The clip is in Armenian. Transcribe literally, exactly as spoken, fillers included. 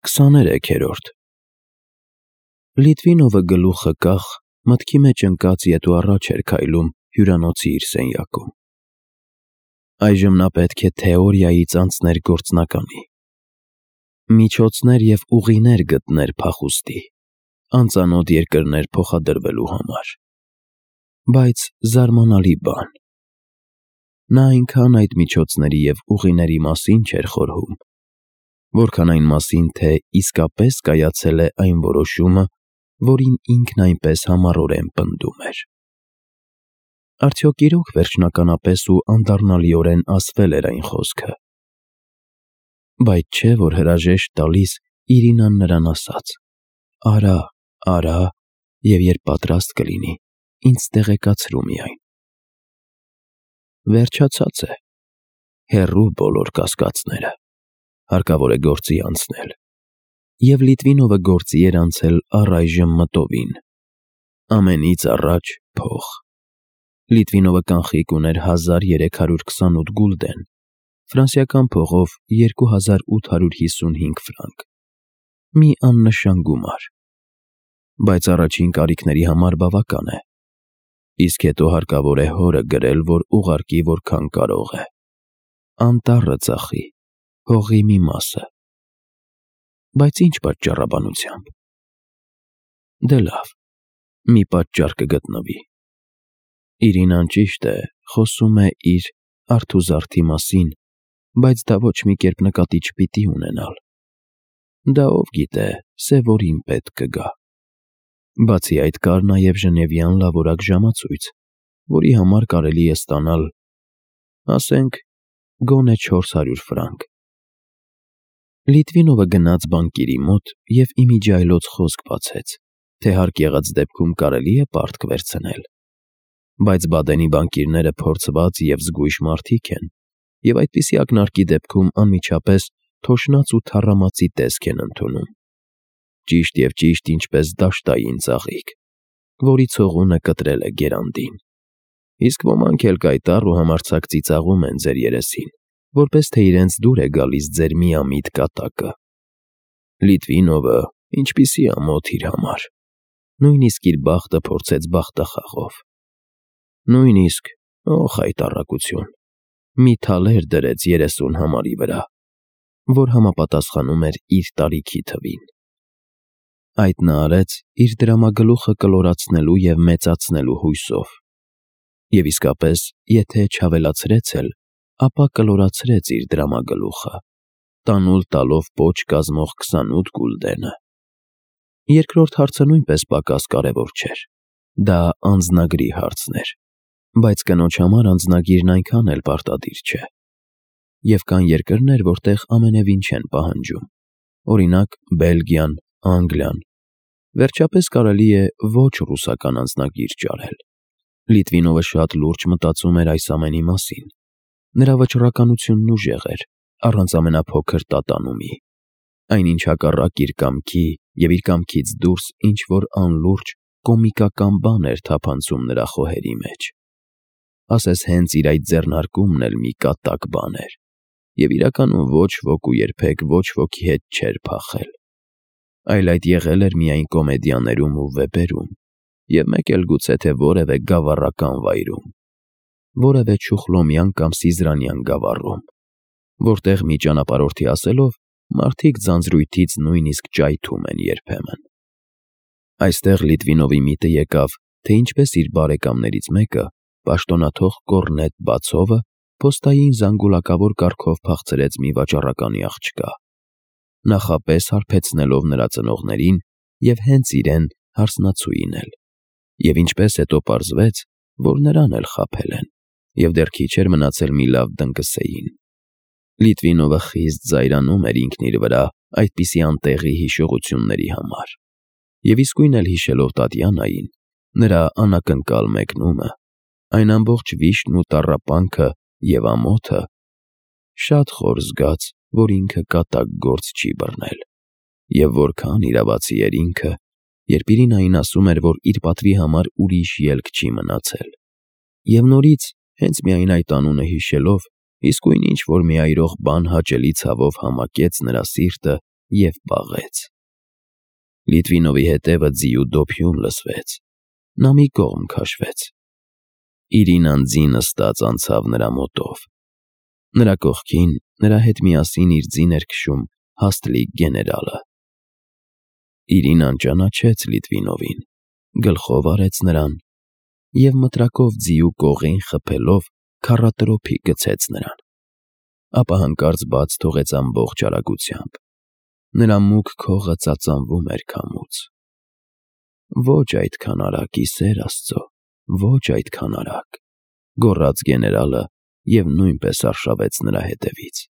Քսաներեքերորդ Լիտվինովը գլուխը կախ, մտքի մեջ ընկած ետ ու առաջ էր քայլում հյուրանոցի իր սենյակում։ Այժմ նա պետք է թեորիայից անցներ գործնականի, միջոցներ և ուղիներ գտներ փախուստի, անծանոթ երկրներ փոխադրվելու համար։ Բայց զարմանալի բան, նա այնքան այդ միջոցների և ուղիների մասին չէր խորհում, որքան այն մասին, թե իսկապես կայացել է այն որոշումը, որին ինքն այնպես համառորեն պնդում էր։ Արդյոք իրոք վերջնականապես ու անդառնալիորեն ասվել էր այն խոսքը։ Բայց չէ, որ հրաժեշտ տալիս Իրինան նրան ասաց. «Արա, արա, և երբ պատրաստ կլինի, ինձ տեղեկացրու միայն»։ Վերջացած է, հեռու բոլոր կասկածները, հարկավոր է գործի անցնել։ Եվ Լիտվինովը գործի էր անցել առայժմ մտովին։ Ամենից առաջ փող։ Լիտվինովը կանխիկ ուներ հազար երեք հարյուր քսանութ գուլդեն, ֆրանսիական փողով երկու հազար ութ հարյուր հիսունհինգ ֆրանկ, մի աննշան գումար, բայց առաջին կարիքների համար բավական է, իսկ հետո հարկավոր է հորը գրել, որ ուղարկի որքան կարող է, անտառը ծախի, հողի մի մասը։ Բայց ինչ պատճառաբանությամբ։ Դե լավ, մի պատճառ կգտնվի։ Իրինան, ճիշտ է, խոսում է իր արթուզարդի մասին, բայց դա ոչ մի կերպ նկատի չպիտի ունենալ։ Դա ով գիտե, սևորին պետք կգա։ Բացի այդ, կար նաև ժնևյան լավորակ ժամացույց, որի համար կարելի է ստանալ, ասենք, գոնե չորս հարյուր ֆրանկ։ Լիտվինովը գնաց բանկիրի մոտ և իմիջիայլոց խոսք բացեց, թե հարկ եղած դեպքում կարելի է պարտք վերցնել։ Բայց Բադենի բանկիրները փորձված և զգույշ մարդիկ են, և այդպիսի ակնարկի դեպքում անմիջապես թոշնաց ու թառամածի տեսք են ընդունում, ճիշտ և ճիշտ ինչպես դաշտային ծաղիկ, որի ցողունը կտրել է գերանդին։ Իսկ ոմանք էլ կայտառ ու համարձակ ծիծաղում են ձեր երեսին, որպես թե իրենց դուր է գալիս ձեր միամիտ կատակը։ Լիտվինովը ինչպիսի ամոթ իր համար, նույնիսկ իր բախտը փորձեց բախտախաղով։ Նույնիսկ, օ խայտառակություն, մի թալեր դրեց երեսուն համարի վրա, որ համապատասխանում էր իր տարիքի թվին։ Այդ նա արեց իր դրամագլուխը կլորացնելու և մեծացնելու հույսով։ Եվ իսկապես, եթե չավելացրեց էլ, ապա կլորացրեց իր դրամագլուխը, տանուլ տալով պոչ կազմող քսանութ գուլդենը։ Երկրորդ հարցը նույնպես պակաս կարևոր չէր։ Դա անձնագրի հարցն էր, բայց կնոջ համար անձնագիրն այնքան էլ պարտադիր չէ։ Եվ կան երկրներ, որտեղ ամենևին չեն պահանջում, օրինակ Բելգիան, Անգլիան։ Վերջապես կարելի է ոչ ռուսական անձնագիր ճարել։ Լիտվինովը շատ լուրջ մտածում էր այս ամենի մասին։ Նրա վճռականությունն ուժեղ էր, առանց ամենափոքր տատանումի։ Այնինչ հակառակ իր կամքի և իր կամքից դուրս ինչ-որ անլուրջ, կոմիկական բան էր թափանցում նրա խոհերի մեջ։ Ասես հենց իր այդ ձեռնարկումն էլ մի կատակ բան էր, և իրականում ոչ ոք ու երբեք ոչ ոքի հետ չէր փախել, այլ այդ եղել էր միայն կոմեդիաներում ու վեպերում, և մեկ էլ գուցե թե որևէ գավառական վայրում, որևէ Չուխլոմյան կամ Սիզրանյան գավառում, որտեղ մի ճանապարհորդի ասելով, մարդիկ ձանձրույթից նույնիսկ ճայթում են երբեմն։ Այստեղ Լիտվինովի միտը եկավ, թե ինչպես իր բարեկամներից մեկը, պաշտոնաթող Կոռնետ Բացովը, փոստային զանգուլակավոր կարգով փախցրեց մի վաճառականի աղջկա, նախապես հարբեցնելով նրա ծնողներին և հենց իրեն հարսնացուին էլ, և ինչպես հետո պարզվեց, որ նրան էլ խաբել են, և դեռ քիչ էր մնացել մի լավ դնկսեին։ Լիտվինովը խիստ զայրանում էր ինքն իր վրա այդպիսի անտեղի հիշողությունների համար, և իսկույն էլ հիշելով Տատյանային, նրա անակնկալ մեկնումը, այն ամբողջ վիշտն ու տառապանքը և ամոթը, շատ խոր զգաց, որ ինքը կատակ գործ չի բռնել, և որքան իրավացի էր ինքը, երբ Իրինային ասում էր, որ իր պատվի համար ուրիշ ելք չի մնացել։ Եվ նորից, հենց միայն այդ անունը հիշելով, իսկույն ինչ-որ մի այրող բան հաճելի ցավով համակեց նրա սիրտը և պաղեց։ Լիտվինովի հետևը ձիու դոփյուն լսվեց, նա մի կողմ քաշվեց։ Իրինան ձի նստած անցավ նրա մոտով։ Նրա կողքին նրա հետ միասին իր ձին էր քշում հաստլիկ գեներալը։ Իրինան ճանաչեց Լիտվինովին, գլխով արեց նրան և մտրակով ձիու կողին խփելով քառատրոփի գցեց նրան, ապա հանկարծ բաց թողեց ամբողջ արագությամբ։ Նրա մուգ քողը ծածանվում էր քամուց։ «Ոչ այդքան արագ, ի սեր Աստծո, ոչ այդքան արագ», գոռաց գեներալը և նույնպես արշավեց նրա հետևից։